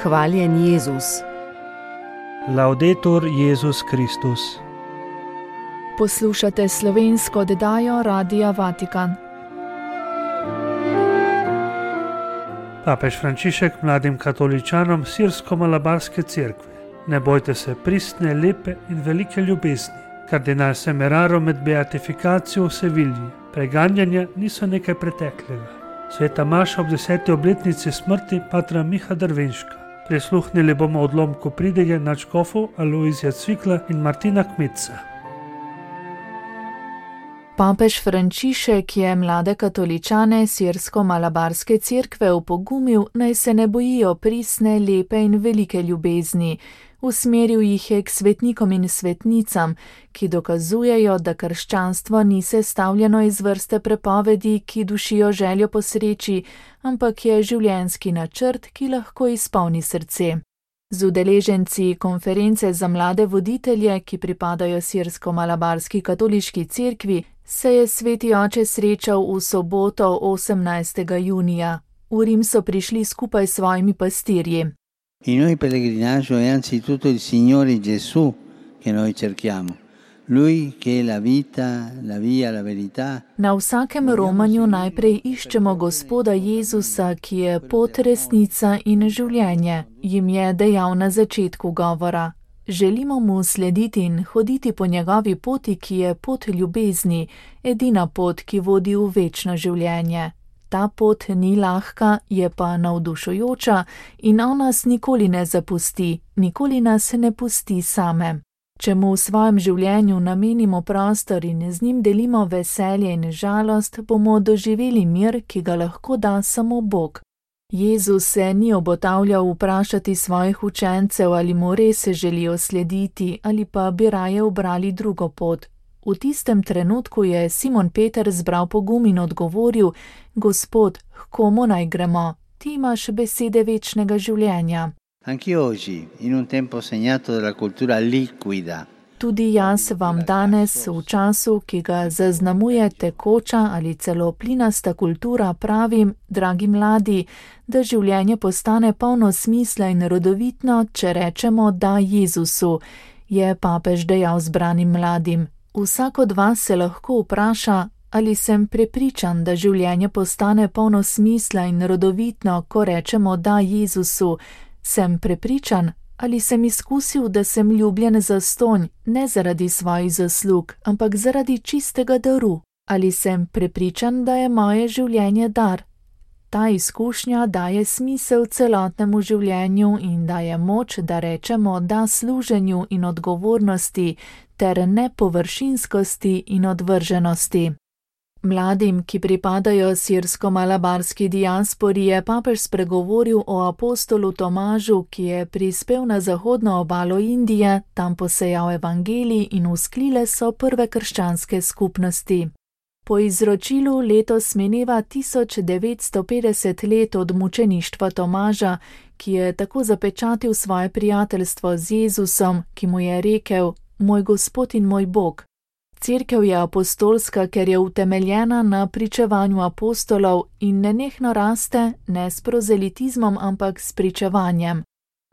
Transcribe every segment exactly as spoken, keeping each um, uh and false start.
Hvaljen Jezus. Laudetur Jezus Kristus. Poslušate slovensko oddajo Radia Vatikan. Papež Frančišek mladim katoličanom Sirsko-Malabarske cerkve: ne bojte se pristne, lepe in velike ljubezni. Kardinal Semeraro med beatifikacijo v Sevilji: preganjanja niso nekaj preteklega. Sveta maša ob deseti obletnici smrti patra Miha Drvenška. Prisluhnili bomo odlomku pridige nadškofov Alojzija Cvikla in Martina Kmetca. Papež Frančišek je mlade katoličane Sirsko-Malabarske cerkve opogumil, naj se ne bojijo pristne, lepe in velike ljubezni. Usmeril jih je k svetnikom in svetnicam, ki dokazujejo, da krščanstvo ni sestavljeno iz vrste prepovedi, ki dušijo željo po sreči, ampak je življenjski načrt, ki lahko izpolni srce. Z udeleženci konference za mlade voditelje, ki pripadajo Sirsko-Malabarski katoliški cerkvi, se je sveti oče srečal v soboto osemnajstega junija. V Rim so prišli skupaj s svojimi pastirji. In noi pellegrinaggio è anzitutto il Signore Gesù che noi cerchiamo. Lui che è la vita, la via, la verità. Na vsakem romanju najprej iščemo Gospoda Jezusa, ki je pot, resnica in življenje, jim je dejal na začetku govora. Želimo mu slediti in hoditi po njegovi poti, ki je pot ljubezni, edina pot, ki vodi v večno življenje. Ta pot ni lahka, je pa navdušujoča in on nas nikoli ne zapusti, nikoli nas ne pusti same. Če mu v svojem življenju namenimo prostor in z njim delimo veselje in žalost, bomo doživeli mir, ki ga lahko da samo Bog. Jezus se ni obotavljal vprašati svojih učencev, ali mu res želijo slediti ali pa bi raje ubrali drugo pot. V tistem trenutku je Simon Peter zbral pogum in odgovoril: Gospod, h komu naj gremo? Ti imaš besede večnega življenja. Anche oggi, in un tempo segnato dalla cultura liquida. Tudi jaz vam danes, v času, ki ga zaznamuje tekoča ali celo plinasta kultura, pravim, dragi mladi, da življenje postane polno smisla in rodovitno, če rečemo da Jezusu, je papež dejal zbranim mladim. Vsak od vas se lahko vpraša, ali sem prepričan, da življenje postane polno smisla in rodovitno, ko rečemo da Jezusu. Sem prepričan, ali sem izkusil, da sem ljubljen zastonj, ne zaradi svojih zaslug, ampak zaradi čistega daru. Ali sem prepričan, da je moje življenje dar. Ta izkušnja daje smisel celotnemu življenju in daje moč, da rečemo da služenju in odgovornosti ter nepovršinskosti in odvrženosti. Mladim, ki pripadajo sirsko-malabarski diaspori, je papež spregovoril o apostolu Tomažu, ki je prispel na zahodno obalo Indije, tam posejal evangelij in vzklile so prve krščanske skupnosti. Po izročilu letos mineva tisoč devetsto petdeset let od mučeništva Tomaža, ki je tako zapečatil svoje prijateljstvo z Jezusom, ki mu je rekel: moj Gospod in moj Bog. Cerkev je apostolska, ker je utemeljena na pričevanju apostolov in nenehno raste, ne s prozelitizmom, ampak s pričevanjem.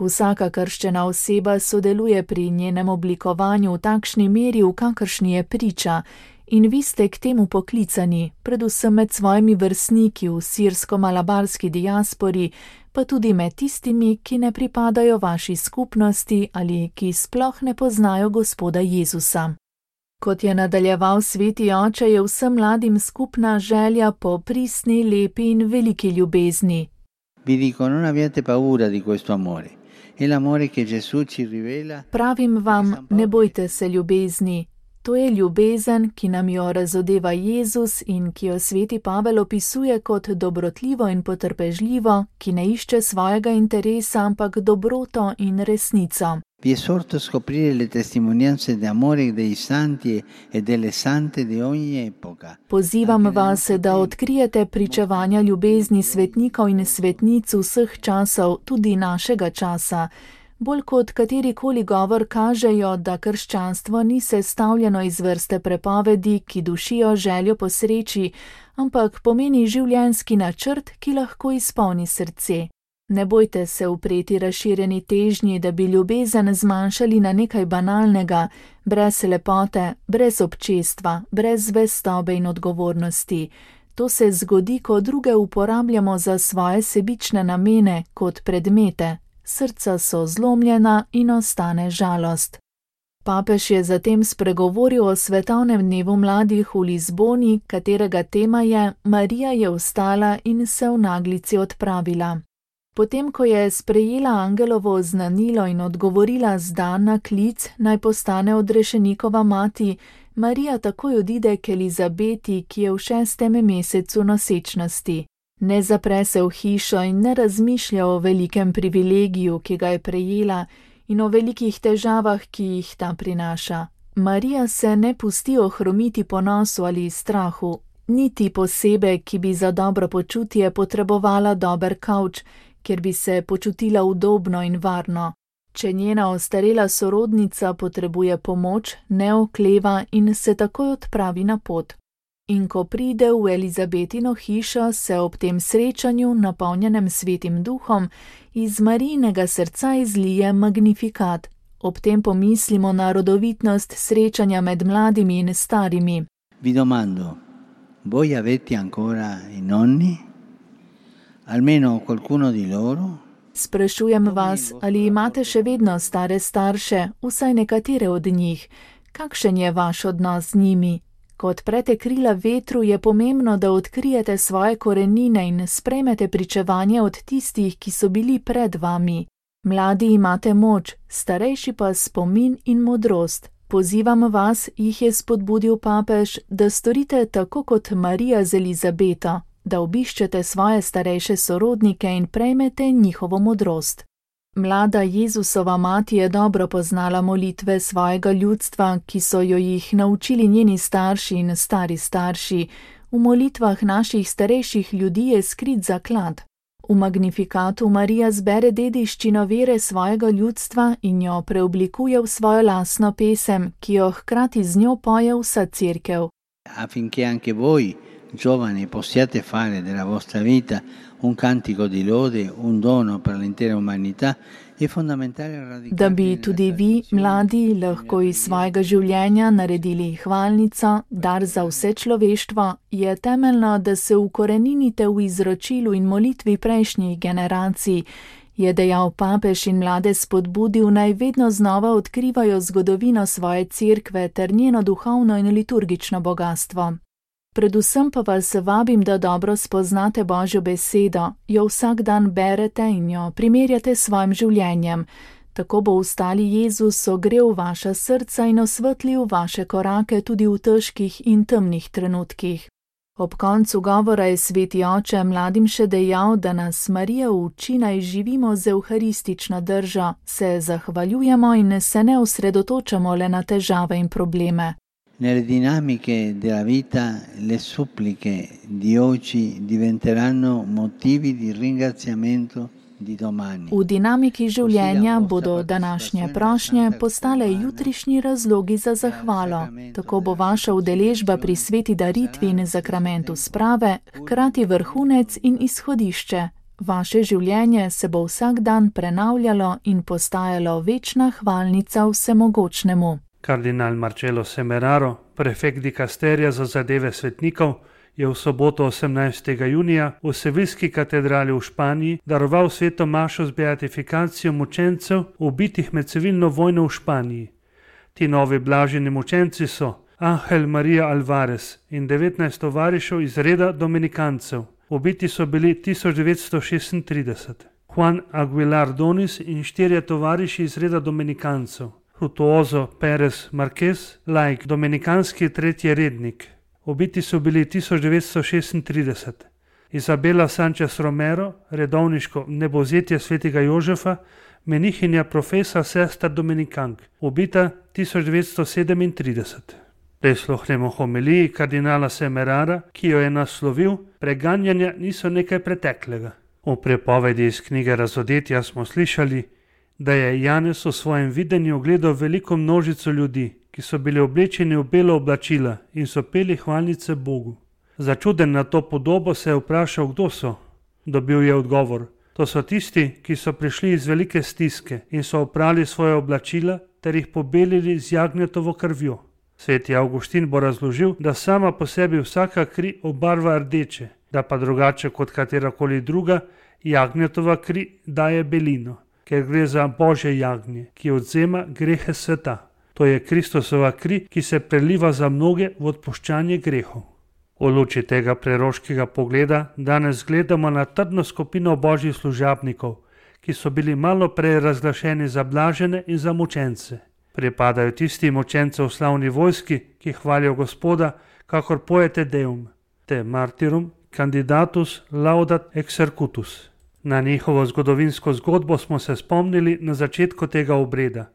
Vsaka krščena oseba sodeluje pri njenem oblikovanju v takšni meri, v kakršni je priča, in vi ste k temu poklicani, predvsem med svojimi vrstniki v sirsko-malabarski diaspori, pa tudi med tistimi, ki ne pripadajo vaši skupnosti ali ki sploh ne poznajo Gospoda Jezusa. Kot je nadaljeval sveti oče, je vsem mladim skupna želja po pristni, lepi in veliki ljubezni. Vi dico, non abbiate paura di questo amore. È l'amore che Gesù ci rivela. Pravim vam, ne bojte se ljubezni. To je ljubezen, ki nam jo razodeva Jezus in ki jo sveti Pavel opisuje kot dobrotljivo in potrpežljivo, ki ne išče svojega interesa, ampak dobroto in resnico. Vi esorto a scoprire le testimonianze d'amore dei santi e delle sante di ogni epoca. Pozivam vas, da odkrijete pričevanja ljubezni svetnikov in svetnic vseh časov, tudi našega časa. Bolj kot katerikoli govor kažejo, da krščanstvo ni sestavljeno iz vrste prepovedi, ki dušijo željo po sreči, ampak pomeni življenjski načrt, ki lahko izpolni srce. Ne bojte se upreti razširjeni težnji, da bi ljubezen zmanjšali na nekaj banalnega, brez lepote, brez občestva, brez zvestobe in odgovornosti. To se zgodi, ko druge uporabljamo za svoje sebične namene kot predmete. Srca so zlomljena in ostane žalost. Papež je zatem spregovoril o svetovnem dnevu mladih v Lizboni, katerega tema je Marija je vstala in se v naglici odpravila. Potem, ko je sprejela angelovo oznanilo in odgovorila zdan na klic, naj postane odrešenikova mati, Marija takoj odide k Elizabeti, ki je v šestem mesecu nosečnosti. Ne zapre se v hišo in ne razmišlja o velikem privilegiju, ki ga je prejela, in o velikih težavah, ki jih ta prinaša. Marija se ne pusti ohromiti ponosu ali strahu, niti posebej, ki bi za dobro počutje potrebovala dober kavč, kjer bi se počutila udobno in varno. Če njena ostarela sorodnica potrebuje pomoč, ne okleva in se takoj odpravi na pot. In ko pride v Elizabetino hišo, se ob tem srečanju, napolnjenem svetim duhom, iz Marijinega srca izlije magnifikat. Ob tem pomislimo na rodovitnost srečanja med mladimi in starimi. Vi domando, voi avete ancora i nonni? Almeno qualcuno di loro? Sprašujem vas, ali imate še vedno stare starše, vsaj nekatere od njih. Kakšen je vaš odnos z njimi? Ko odprete krila vetru, je pomembno, da odkrijete svoje korenine in sprejmete pričevanje od tistih, ki so bili pred vami. Mladi imate moč, starejši pa spomin in modrost. Pozivam vas, jih je spodbudil papež, da storite tako kot Marija z Elizabeto, da obiščete svoje starejše sorodnike in prejmete njihovo modrost. Mlada Jezusova mati je dobro poznala molitve svojega ljudstva, ki so jo jih naučili njeni starši in stari starši. V molitvah naših starejših ljudi je skrit zaklad. V Magnifikatu Marija zbere dediščino vere svojega ljudstva in jo preoblikuje v svojo lastno pesem, ki jo hkrati z njo poje vsa cerkev. Affinché anche voi, giovani, possiate fare della vostra vita un cantico di lode, un dono per l'intera umanità, è fondamentale radicare. Da bi tudi vi, mladi, lahko iz svojega življenja naredili hvalnico, dar za vse človeštvo, je temeljno, da se ukoreninite v izročilu in molitvi prejšnjih generacij, je dejal papež in mlade spodbudil, naj vedno znova odkrivajo zgodovino svoje cerkve ter njeno duhovno in liturgično bogastvo. Predvsem pa vas vabim, da dobro spoznate Božjo besedo, jo vsak dan berete in jo primerjate s svojim življenjem. Tako bo vstali Jezus ogrel vaša srca in osvetlil vaše korake tudi v težkih in temnih trenutkih. Ob koncu govora je sveti oče mladim še dejal, da nas Marija uči, naj živimo z evharistično držo, se zahvaljujemo in se ne osredotočamo le na težave in probleme. Nelle dinamiche della vita le suppliche di oggi diventeranno motivi di ringraziamento di domani. V dinamiki življenja bodo današnje prošnje postale jutrišnji razlogi za zahvalo. Tako bo vaša udeležba pri sveti daritvi in zakramentu sprave hkrati vrhunec in izhodišče. Vaše življenje se bo vsak dan prenavljalo in postajalo večna hvalnica vsemogočnemu. Kardinal Marcello Semeraro, prefekt dikasterija za zadeve svetnikov, je v soboto osemnajstega junija v Seviljski katedrali v Španiji daroval sveto mašo z beatifikacijo mučencev ubitih med civilno vojno v Španiji. Ti novi blaženi mučenci so Ángel María Álvarez in devetnajst tovarišev iz reda dominikancev. Ubiti so bili tisoč devetsto šestintrideset. Juan Aguilar Donis in štirje tovariši iz reda dominikancev. Frutuoso Pérez Marquez, laik, dominikanski tretji rednik. Ubiti so bili tisoč devetsto šestintrideset. Izabela Sánchez Romero, redovniško nebozetje svetega Jožefa, menihinja profesa sester dominikank, ubita tisoč devetsto sedemintrideset. Prisluhnemo homiliji kardinala Semerara, ki jo je naslovil Preganjanja niso nekaj preteklega. V prepovedi iz knjige Razodetja smo slišali, da je Janez v svojem videnju ogledal veliko množico ljudi, ki so bili oblečeni v belo oblačila in so peli hvalnice Bogu. Začuden na to podobo se je vprašal, kdo so. Dobil je odgovor: To so tisti, ki so prišli iz velike stiske in so oprali svoje oblačila ter jih pobelili z jagnjetovo krvjo. Sveti Avguštin bo razložil, da sama po sebi vsaka kri obarva rdeče, da pa drugače kot katerakoli druga, jagnjetova kri daje belino, ker gre za Božje jagnje, ki odvzema grehe sveta. To je Kristusova kri, ki se preliva za mnoge v odpuščanje grehov. V luči tega preroškega pogleda danes gledamo na trdno skupino božjih služabnikov, ki so bili malo prej razglašeni za blažene in za mučence. Pripadajo tisti mučence v slavni vojski, ki hvalijo Gospoda, kakor pojete Deum, te martyrum candidatus laudat exercutus. Na njihovo zgodovinsko zgodbo smo se spomnili na začetku tega obreda.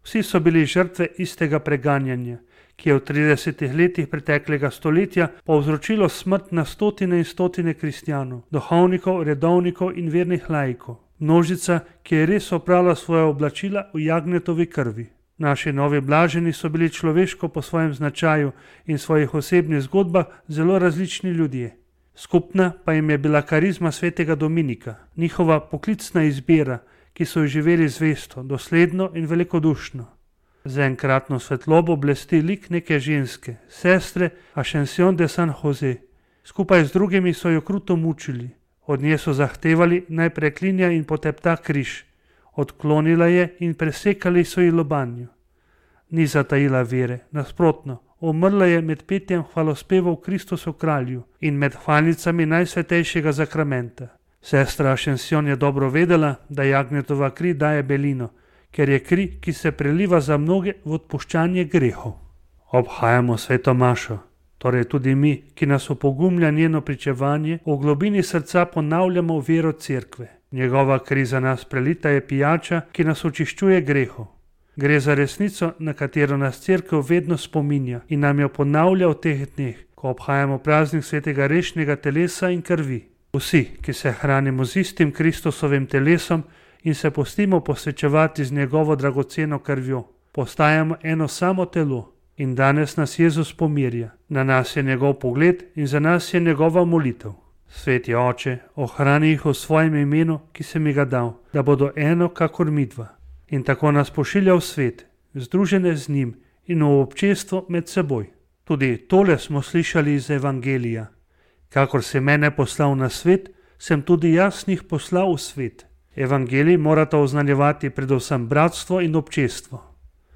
Vsi so bili žrtve istega preganjanja, ki je v tridesetih letih preteklega stoletja povzročilo smrt na stotine in stotine kristjanov, duhovnikov, redovnikov in vernih laikov. Množica, ki je res oprala svoje oblačila v jagnjetovi krvi. Naši novi blaženi so bili človeško po svojem značaju in svojih osebnih zgodbah zelo različni ljudje. Skupna pa jim je bila karizma svetega Dominika, njihova poklicna izbira, ki so jo živeli zvesto, dosledno in velikodušno. Z enkratno svetlobo blesti lik neke ženske, sestre Ascension de San Jose. Skupaj z drugimi so jo kruto mučili. Od nje so zahtevali naj preklinja in potepta križ. Odklonila je in presekali so ji lobanjo. Ni zatajila vere, nasprotno, umrla je med petjem hvalospevov Kristusu kralju in med hvalnicami najsvetejšega zakramenta. Sestra Ascension je dobro vedela, da jagnjetova kri daje belino, ker je kri, ki se preliva za mnoge v odpuščanje grehov. Obhajamo sveto mašo, torej tudi mi, ki nas opogumlja njeno pričevanje, v globini srca ponavljamo vero cerkve. Njegova kri za nas prelita je pijača, ki nas očiščuje grehov. Gre za resnico, na katero nas cerkev vedno spominja in nam jo ponavlja v teh dneh, ko obhajamo praznik svetega rešnega telesa in krvi. Vsi, ki se hranimo z istim Kristusovim telesom in se pustimo posvečevati z njegovo dragoceno krvjo, postajamo eno samo telo. In danes nas Jezus pomirja, na nas je njegov pogled in za nas je njegova molitev. Sveti Oče, ohrani jih v svojem imenu, ki si mi ga dal, da bodo eno kakor midva. In tako nas pošilja v svet, združene z njim in v občestvo med seboj. Tudi tole smo slišali iz Evangelija. Kakor si mene poslal na svet, sem tudi jaz njih poslal v svet. Evangelij morata oznanjevati predvsem bratstvo in občestvo.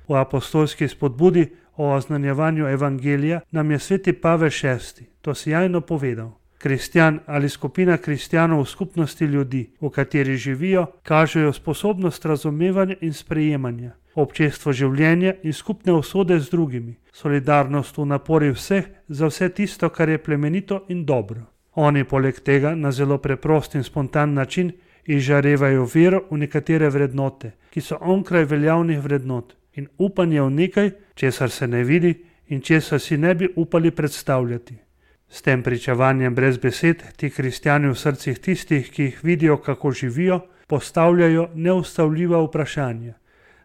V apostolski spodbudi o oznanjevanju Evangelija nam je sveti Pavel šesti to sjajno povedal. Kristjan ali skupina kristjanov v skupnosti ljudi, v kateri živijo, kažejo sposobnost razumevanja in sprejemanja, občestvo življenja in skupne usode z drugimi, solidarnost v napori vseh za vse tisto, kar je plemenito in dobro. Oni poleg tega na zelo preprost in spontan način izžarevajo vero v nekatere vrednote, ki so onkraj veljavnih vrednot, in upanje v nekaj, česar se ne vidi in česar si ne bi upali predstavljati. S tem pričevanjem brez besed ti kristjani v srcih tistih, ki jih vidijo, kako živijo, postavljajo neustavljiva vprašanja.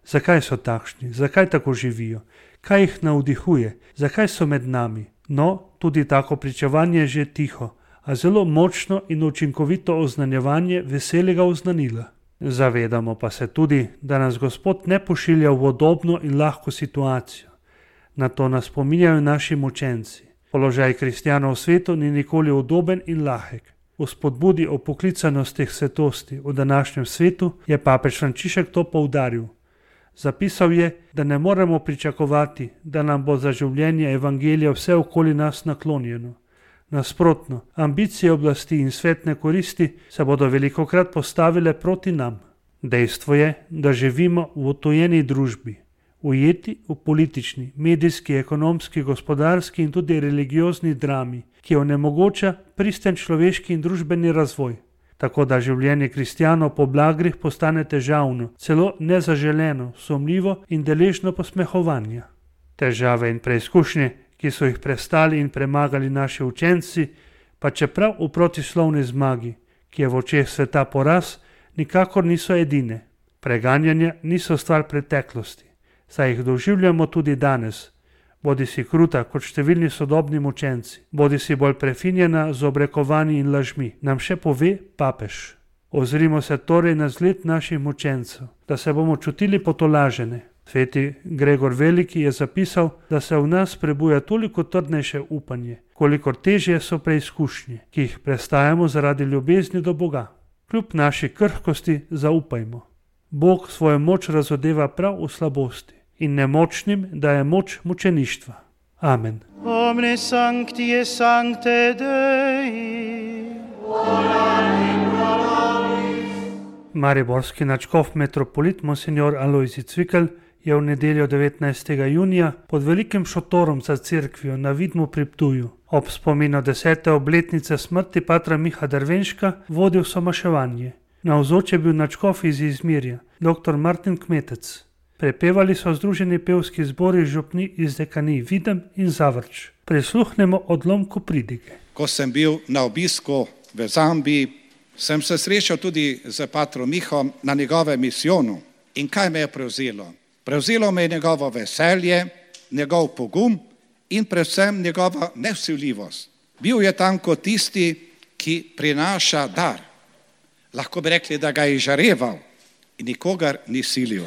Zakaj so takšni? Zakaj tako živijo? Kaj jih navdihuje? Zakaj so med nami? No, tudi tako pričevanje je že tiho, a zelo močno in učinkovito oznanjevanje veselega oznanila. Zavedamo pa se tudi, da nas Gospod ne pošilja v udobno in lahko situacijo. Na to nas spominjajo naši mučenci. Položaj kristjanov v svetu ni nikoli udoben in lahek. V spodbudi o poklicanosti svetosti v današnjem svetu je papež Frančišek to poudaril. Zapisal je, da ne moremo pričakovati, da nam bo za življenje evangelija vse okoli nas naklonjeno. Nasprotno, ambicije oblasti in svetne koristi se bodo velikokrat postavile proti nam. Dejstvo je, da živimo v odtujeni družbi, ujeti v politični, medijski, ekonomski, gospodarski in tudi religiozni drami, ki onemogoča pristen človeški in družbeni razvoj. Tako da življenje kristjanov po blagrih postane težavno, celo nezaželeno, sumljivo in deležno posmehovanja. Težave in preizkušnje, ki so jih prestali in premagali naši učenci, pa čeprav v protislovni zmagi, ki je v očeh sveta poraz, nikakor niso edine. Preganjanja niso stvar preteklosti, saj jih doživljamo tudi danes, bodi si kruta kot številni sodobni mučenci, bodi si bolj prefinjena z obrekovanji in lažmi, nam še pove papež. Ozrimo se torej na zgled naših mučencev, da se bomo čutili potolažene. Sveti Gregor Veliki je zapisal, da se v nas prebuja toliko trdnejše upanje, kolikor težje so preizkušnje, ki jih prestajamo zaradi ljubezni do Boga. Kljub naši krhkosti zaupajmo. Bog svojo moč razodeva prav v slabosti in nemočnim daje moč mučeništva. Amen. Omne sancti sancte Dei. Mariborski nadškof metropolit monsignor Alojzij Cvikl je v nedeljo devetnajstega junija pod velikim šotorom za cerkvijo na Vidmu pri Ptuju ob spominu desete obletnice smrti patra Miha Dervenška vodil somaševanje. Navzoč je bil nadškof iz Izmirja, dr. Martin Kmetec. Prepevali so združeni pevski zbori župni iz dekanij Videm in Zavrč. Prisluhnemo odlomku pridige. Ko sem bil na obisku v Zambiji, sem se srečal tudi z patrom Mihom na njegovem misijonu. In kaj me je prevzelo? Prevzelo me je njegovo veselje, njegov pogum in predvsem njegova nevsiljivost. Bil je tam kot tisti, ki prinaša dar. Lahko bi rekli, da ga je žareval in nikogar ni silil.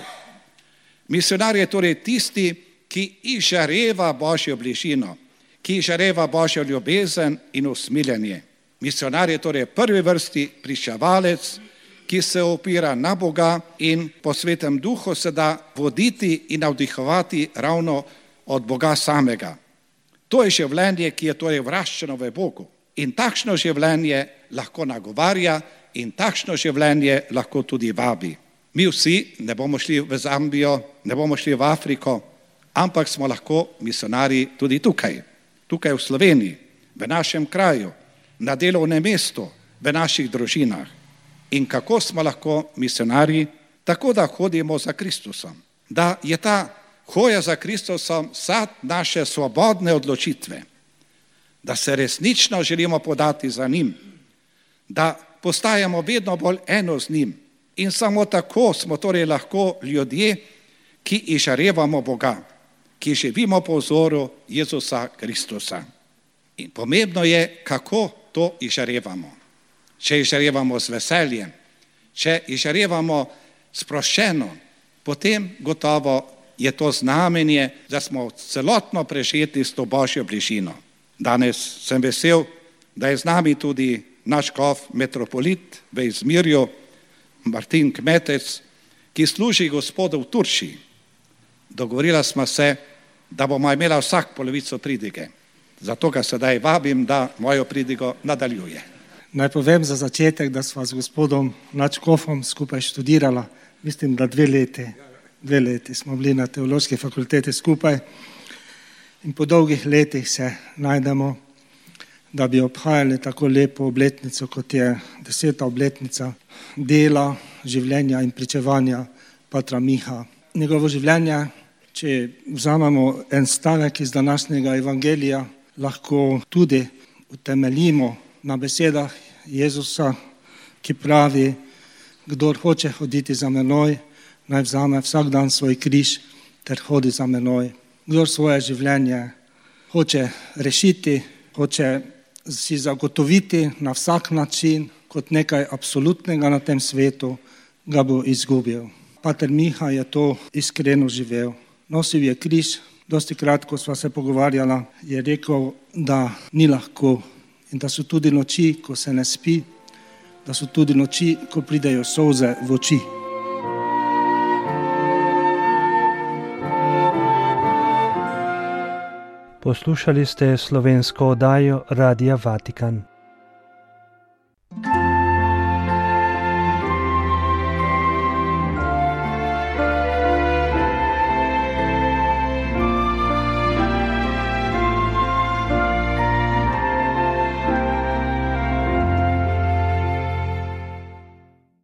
Misionar je torej tisti, ki izžareva Božjo bližino, ki izžareva Božjo ljubezen in usmiljenje. Misionar je torej prvi vrsti pričevalec, ki se opira na Boga in po Svetem Duhu se da voditi in navdihovati ravno od Boga samega. To je življenje, ki je torej vraščeno v Bogu. In takšno življenje lahko nagovarja in takšno življenje lahko tudi vabi. Mi vsi ne bomo šli v Zambijo, ne bomo šli v Afriko, ampak smo lahko misionarji tudi tukaj, tukaj v Sloveniji, v našem kraju, na delovnem mestu, v naših družinah. In kako smo lahko misionarji? Tako, da hodimo za Kristusom. Da je ta hoja za Kristusom sad naše svobodne odločitve. Da se resnično želimo podati za njim. Da postajamo vedno bolj eno z njim. In samo tako smo torej lahko ljudje, ki izžarevamo Boga, ki živimo po vzoru Jezusa Kristusa. In pomembno je, kako to izžarevamo. Če izžarevamo z veseljem, če izžarevamo sproščeno, potem gotovo je to znamenje, da smo celotno prežeti s to Božjo bližino. Danes sem vesel, da je z nami tudi naš škof metropolit v Izmirju, Martin Kmetec, ki služi Gospodu v Turčiji. Dogovorila smo se, da bomo imela vsak polovico pridige. Zato ga sedaj vabim, da mojo pridigo nadaljuje. Naj povem za začetek, da sva z gospodom nadškofom skupaj študirala, mislim, da dve leti, dve leti smo bili na teološki fakulteti skupaj in po dolgih letih se najdemo, da bi obhajali tako lepo obletnico, kot je deseta obletnica dela, življenja in pričevanja patra Miha. Njegovo življenje, če vzamemo en stavek iz današnjega evangelija, lahko tudi utemeljimo na besedah Jezusa, ki pravi, kdor hoče hoditi za menoj, naj vzame vsak dan svoj križ ter hodi za menoj. Kdor svoje življenje hoče rešiti, hoče si zagotoviti na vsak način kot nekaj absolutnega na tem svetu, ga bo izgubil. Pater Miha je to iskreno živel. Nosil je križ, dosti krat, ko sva se pogovarjala, je rekel, da ni lahko in da so tudi noči, ko se ne spi, da so tudi noči, ko pridejo solze v oči. Poslušali ste slovensko oddajo Radia Vatikan.